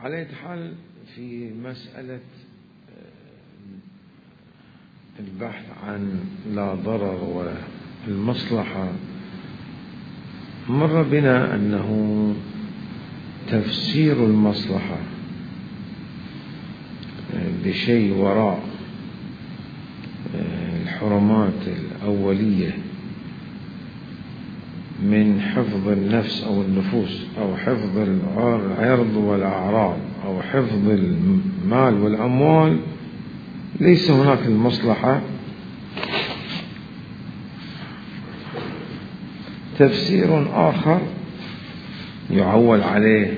على أي حال في مسألة البحث عن لا ضرر والمصلحة، مر بنا أنه تفسير المصلحة بشيء وراء الحرمات الأولية من حفظ النفس أو النفوس أو حفظ العرض والأعراض أو حفظ المال والأموال، ليس هناك المصلحة. تفسير آخر يعول عليه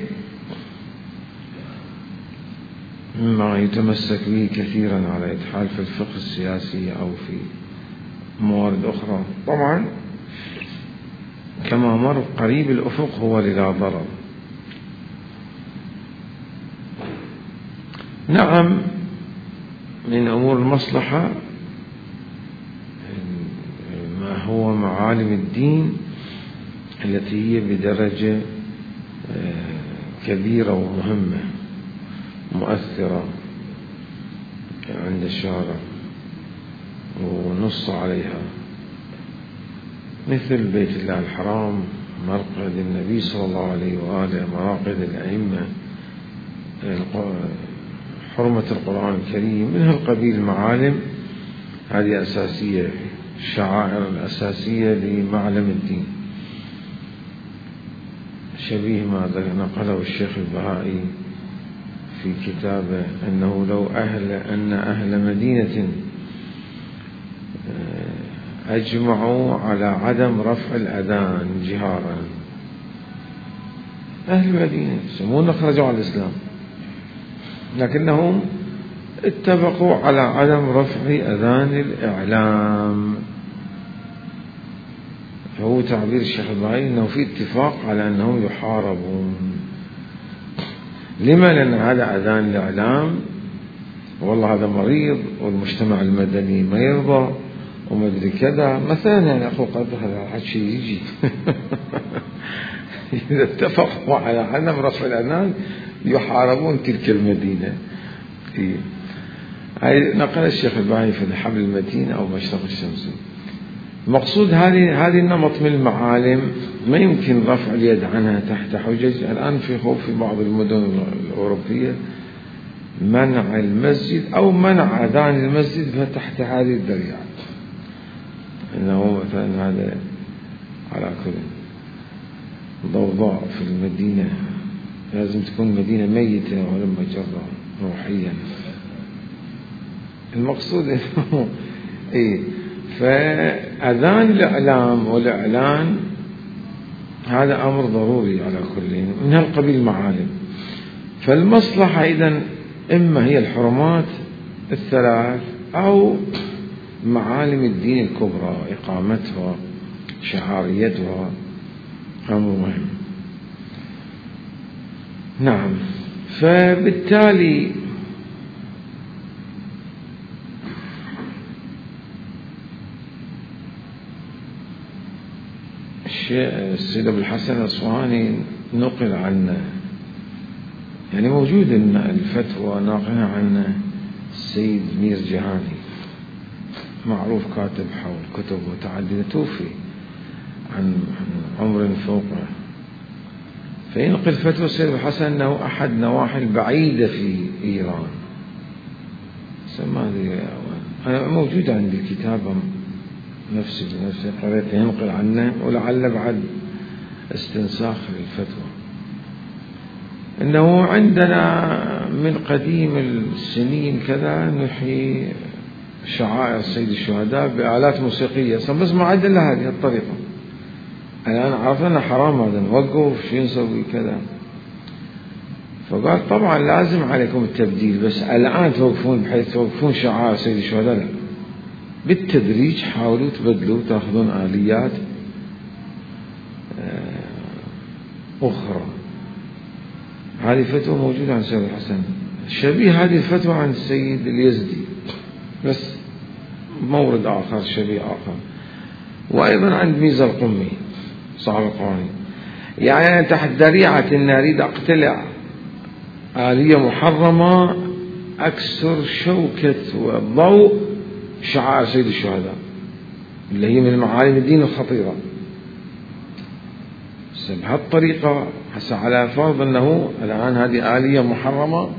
مما يتمسك به كثيرا على إدحال في الفقه السياسي أو في موارد أخرى، طبعا كما مر قريب الأفق هو لا ضرر. نعم، من أمور المصلحة ما هو معالم الدين التي هي بدرجة كبيرة ومهمة مؤثرة عند الشارع ونص عليها، مثل بيت الله الحرام، مرقد النبي صلى الله عليه وآله، مراقد الأئمة، حرمة القرآن الكريم، من هالقبيل معالم. هذه أساسية، الشعائر الأساسية لمعلم الدين، شبيه ما نقله الشيخ البهائي في كتابه أنه لو أن أهل مدينة أجمعوا على عدم رفع الأذان جهارا، أهل المدينة يسمون خرجوا على الإسلام، لكنهم اتفقوا على عدم رفع أذان الإعلام. فهو تعبير الشيخ البهائي أنه في اتفاق على أنهم يحاربون. لما؟ لأن هذا أذان الإعلام والله هذا مريض والمجتمع المدني ما يرضى وما أدري كذا مثلا، يعني أخو قدر هذا شيء يجي إذا اتفقوا على عدم رفع الأذان يحاربون تلك المدينة. نقل الشيخ البهائي في الحبل المتين أو مشرق الشمس. المقصود هذه النمط من المعالم ما يمكن رفع اليد عنها تحت حجج. الآن في خوف في بعض المدن الأوروبية منع المسجد أو منع أذان المسجد فتحت هذه الذريعة، إنه مثلا هذا على كل ضوضاء في المدينة، لازم تكون مدينة ميتة ولا مجرة روحيا. المقصود إنه فأذان الإعلام والإعلان هذا أمر ضروري على كل من هالقبيل معالم. فالمصلحة إذن إما هي الحرمات الثلاث أو معالم الدين الكبرى، إقامتها، شعاريتها، أمر مهم. نعم، فبالتالي السيد أبو الحسن الأصفهاني نقل عنه، يعني موجود إن الفتوى ناقلها عن السيد مير جهاني، معروف كاتب حول كتب متعددة، توفي عن عمر فوقه، فينقل فتوى السيد أبو الحسن أنه أحد نواحي البعيدة في إيران، أنا موجود عندي الكتابة نفسي قريت ينقل عنه، ولعل بعد استنساخ للفتوى، إنه عندنا من قديم السنين كذا نحيي شعائر سيد الشهداء بآلات موسيقية، بس ما عاد إلا هذه الطريقة. الآن عرفنا حرام هذا، نوقف شو نسوي كذا. فقال طبعا لازم عليكم التبديل، بس الآن توقفون بحيث توقفون شعائر سيد الشهداء، لا، بالتدريج حاولوا تبدلوا، تأخذون آليات أخرى. هذه فتوى موجودة عن السيد الحسن، شبيه هذه الفتوى عن السيد اليزدي، بس مورد آخر شبيه آخر، وأيضا عند ميزة القمي صاحب القوانين. يعني تحت ذريعة أن أريد أقتلع آلية محرمة أكثر شوكة وضوء شعائر سيد الشهداء اللي هي من معالم الدين الخطيرة. بهالطريقة هسه على فرض أنه الآن هذه آلية محرمة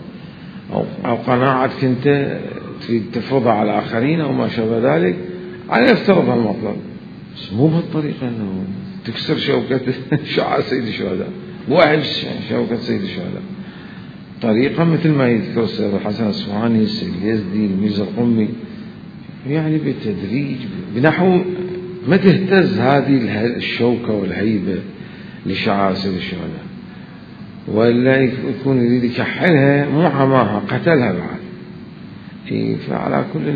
أو قناعتك أنت تريد تفرضها على آخرين أو ما شابه ذلك، على نفترض هالمطلب، بس مو بهالطريقة أنه تكسر شوكة شعائر سيد الشهداء، وحش شوكة سيد الشهداء. طريقة مثل ما يذكر السيد الحسن الأصفهاني، السيد اليزدي، الميرزا القمي، يعني بالتدريج بنحو ما تهتز هذه الشوكة والهيبة لشعائر سيد الشهداء، ولا يكون يريد يكحلها مو عماها قتلها بعد. فعلى كل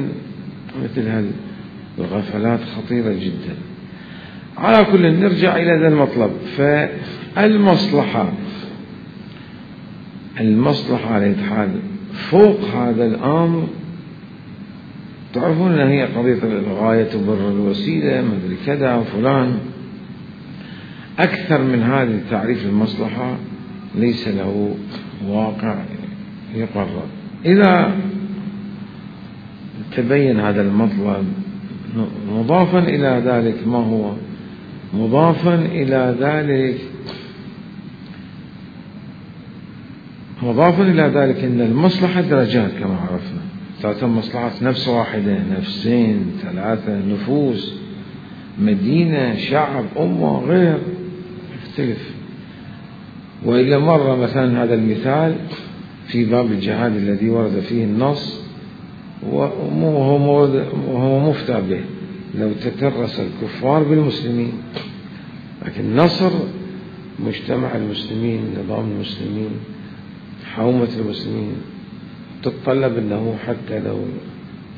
مثل هالغفلات خطيرة جدا. على كل نرجع إلى ذا المطلب. فالمصلحة على الحال فوق هذا الأمر، تعرفون أن هي قضية الغاية تبرر الوسيلة، ما أدري كذا فلان. أكثر من هذه تعريف المصلحة ليس له واقع يقرر. إذا تبين هذا المطلب مضافا إلى ذلك، ما هو مضافا إلى ذلك؟ مضافا إلى ذلك أن المصلحة درجات كما عرفنا، ثلاثة مصلحات، نفس واحدة، نفسين، ثلاثة، نفوس، مدينة، شعب، أمة، غير، يختلف. وإلا مرة مثلا هذا المثال في باب الجهاد الذي ورد فيه النص وهو مفتى به، لو تترس الكفار بالمسلمين، لكن نصر مجتمع المسلمين، نظام المسلمين، حومة المسلمين، تتطلب أنه حتى لو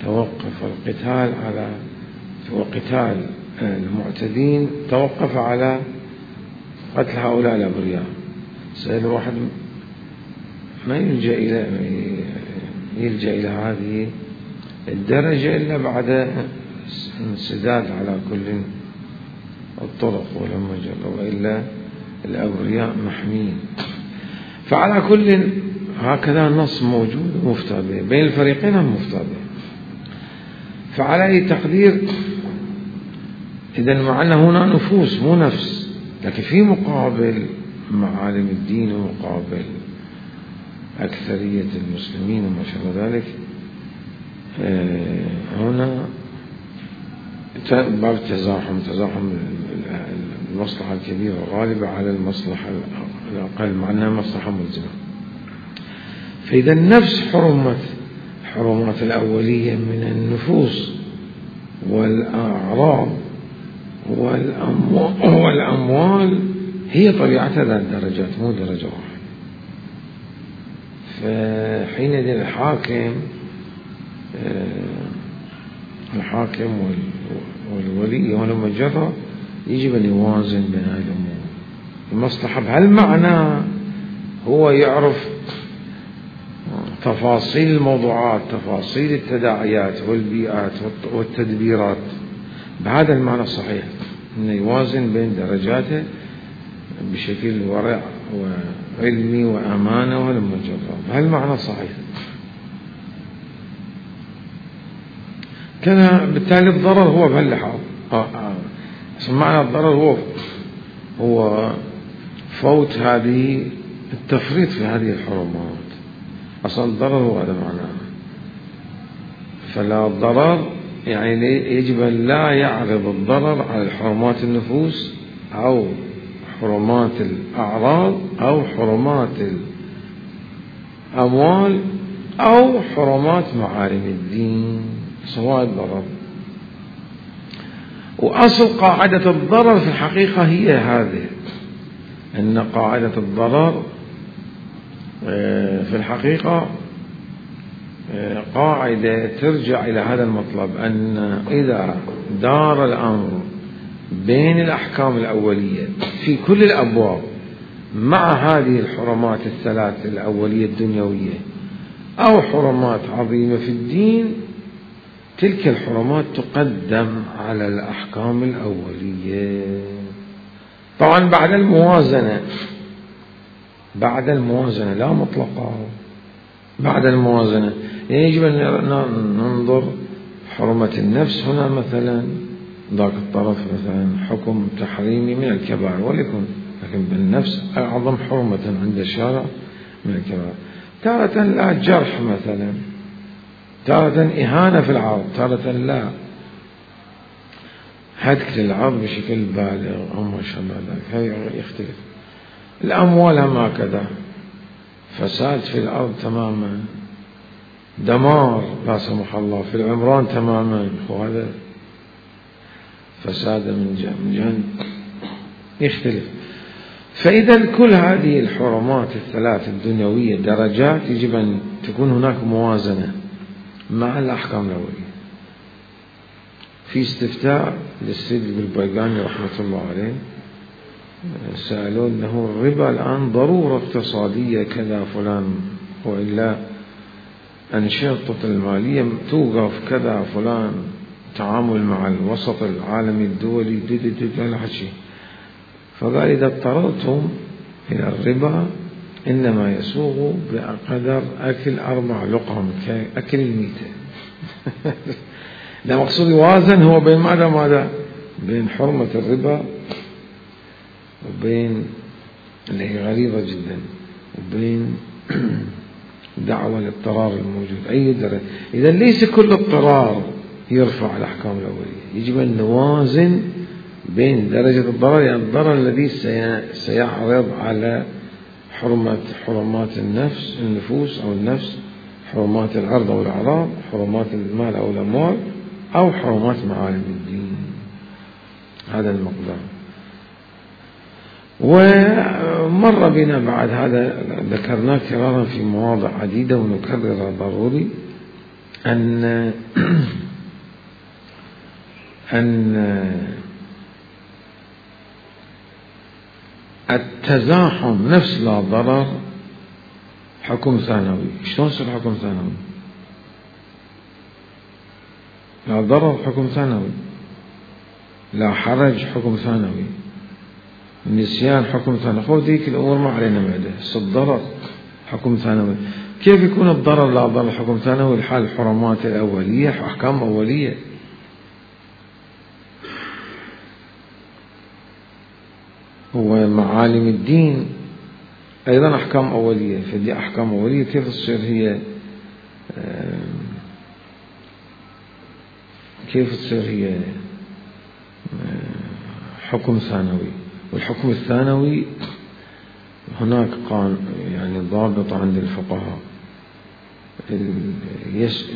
توقف القتال على وقتال المعتدين توقف على قتل هؤلاء الأبرياء، سيد الواحد ما يلجأ إلى هذه الدرجة إلا بعد انسداد على كل الطرق ولما جرى، وإلا الأبرياء محمين. فعلى كل هكذا النص موجود ومفتى به بين الفريقين، هم مفتى به. فعلى أي تقدير إذن مع أن هنا نفوس مو نفس، لكن في مقابل معالم الدين ومقابل أكثرية المسلمين وما شابه ذلك، هنا باب تزاحم المصلحة الكبيرة غالبة على المصلحة الأقل، مع أنها مصلحة ملزمة. فإذا نفس حرمات الأولية من النفوس والأعراض والأموال هي طبيعتها ذات درجات، مو درجة واحدة. فحينئذ الحاكم والولي ولما جرى يجب أن يوازن بين هذه الأمور. المصلحة بهالمعنى هو يعرف تفاصيل الموضوعات، تفاصيل التداعيات والبيئات والتدبيرات، بهذا المعنى الصحيح، أنه يوازن بين درجاته بشكل ورع وعلمي وأمانة ولما جرى، بهالمعنى الصحيح. كان بالتالي الضرر هو بهاللحاظ، معنى الضرر هو فوت هذه التفريط في هذه الحرمات. أصلا الضرر هو هذا معناه. فلا ضرر يعني يجب أن لا يعرض الضرر على الحرمات النفوس أو حرمات الأعراض أو حرمات الأموال أو حرمات معالم الدين، سواء الضرر. وأصل قاعدة الضرر في الحقيقة هي هذه، أن قاعدة الضرر في الحقيقة قاعدة ترجع إلى هذا المطلب، أن إذا دار الأمر بين الأحكام الأولية في كل الأبواب مع هذه الحرمات الثلاث الأولية الدنيوية أو حرمات عظيمة في الدين، تلك الحرمات تقدم على الأحكام الأولية، طبعا بعد الموازنة بعد الموازنة لا مطلقة، بعد الموازنة. يعني يجب أن ننظر حرمة النفس هنا مثلا، ذاك الطرف مثلا حكم تحريمي من الكبائر وليكن، لكن بالنفس أعظم حرمة عند الشارع من الكبائر. تارة لا جرح مثلا، تارة إهانة في العرض، تارة لا هتك للعرض بشكل بالغ أو ما شابه ذلك، هذا يختلف. الأموال هم هكذا، فساد في الأرض تماما، دمار لا سمح الله في العمران تماما، وهذا فساد من جهة يختلف. فإذا كل هذه الحرمات الثلاث الدنيوية درجات، يجب أن تكون هناك موازنة مع الأحكام الأولية. في استفتاء للسيد البيقاني رحمة الله عليه، سألوه أنه الربا الآن ضرورة اقتصادية كذا فلان، وإلا أنشطة المالية توقف كذا فلان، تعامل مع الوسط العالمي الدولي لا شيء. فقال إذا اضطررتم إلى الربا إنما يسوغ بقدر أكل 4 لقم كأكل الميتة. لا مقصود يوازن هو بين ماذا بين حرمة الربا وبين اللي هي غريبة جدا، وبين دعوة الاضطرار الموجود أي درجة. إذا ليس كل اضطرار يرفع الأحكام الأولية، يجب أن نوازن بين درجة الضرر، يعني الضرر الذي سيعرض على حرمات النفوس أو النفس، حرمات العرض أو الأعراض، حرمات المال أو الأموال، أو حرمات معالم الدين. هذا المقدار. ومر بنا بعد هذا، ذكرناه كرارا في مواضع عديدة ونكرر ضروري أن التزاحم نفس لا ضرر حكم ثانوي. شلون يصير حكم ثانوي؟ لا ضرر حكم ثانوي، لا حرج حكم ثانوي، النسيان حكم ثانوي. خذ ذيك الأمور ما علينا معده، الضرر حكم ثانوي. كيف يكون الضرر لا ضرر حكم ثانوي؟ الحال الحرمات الأولية أحكام أولية، ومعالم الدين أيضا أحكام أولية. فدي أحكام أولية كيف تصير هي حكم ثانوي؟ والحكم الثانوي هناك يعني ضابط عند الفقهاء،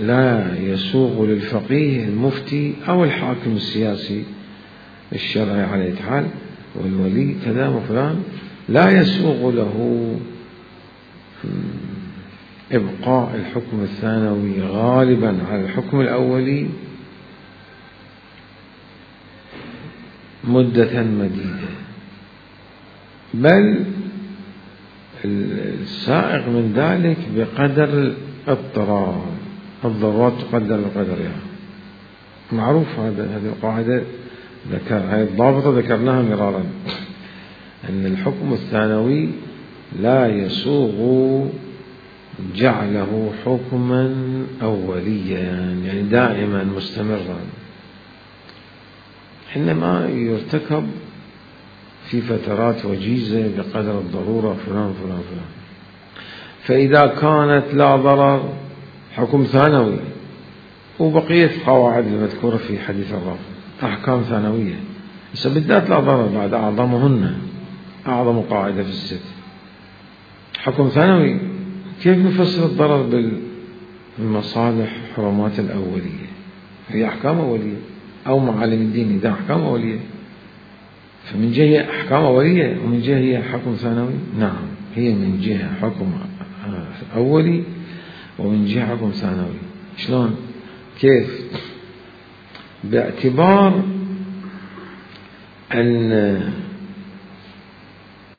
لا يسوغ للفقيه المفتي أو الحاكم السياسي الشرعي على أي حال والولي كذا وفلان، لا يسوغ له إبقاء الحكم الثانوي غالبا على الحكم الأولي مدة مديدة، بل السائغ من ذلك بقدر الاضطرار، الضرورات تقدر بقدرها. يعني معروف هذه القاعدة، هذه الضابطة ذكرناها مرارا، أن الحكم الثانوي لا يسوغ جعله حكما أوليا يعني دائما مستمرا، إنما يرتكب في فترات وجيزة بقدر الضرورة فلان فلان فلان. فإذا كانت لا ضرر حكم ثانوي، وبقية القواعد المذكورة في حديث الرافع أحكام ثانوية، بس بالذات لا ضرر بعد أعظمهن، أعظم قاعدة في الست حكم ثانوي. كيف نفسر الضرر بالمصالح حرمات الأولية؟ هي أحكام أولية، أو معالم الدين إذا أحكام أولية، فمن جهة أحكام أولية ومن جهة هي حكم ثانوي. نعم، هي من جهة حكم أولي ومن جهة حكم ثانوي. شلون؟ كيف؟ باعتبار أن